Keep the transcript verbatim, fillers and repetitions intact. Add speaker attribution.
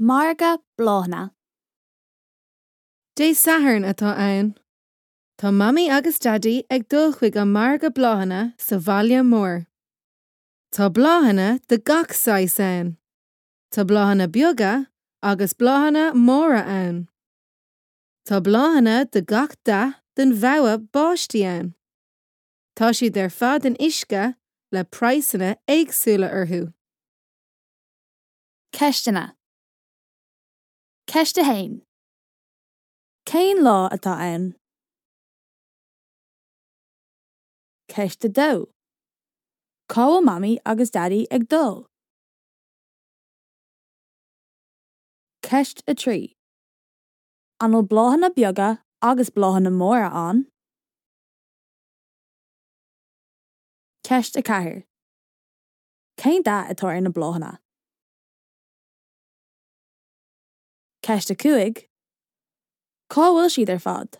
Speaker 1: Margadh bláthanna.
Speaker 2: Dé Sathairn atá ann. Tá Mamaí agus Daidí ag dul chuig an margadh bláthanna sa bhaile mór. Tá bláthanna de gach saghas ann. Tá bláthanna beaga agus bláthanna móra ann. Tá bláthanna de gach dath den bhogha báistí ann. Tá siad ar fad in uisce le praghsanna éagsúla orthu.
Speaker 1: Ceisteanna. Ceist a haon. Cén lá atá ann? Ceist a dó. Cá bhfuil Mamaí agus Daidí ag dul? Ceist a trí. An bhfuil bláthanna beaga agus bláthanna móra ann? Ceist a ceathair. Cén dath atá ar na bláthanna? Ceist a cúig. Cá bhfuil siad ar fad?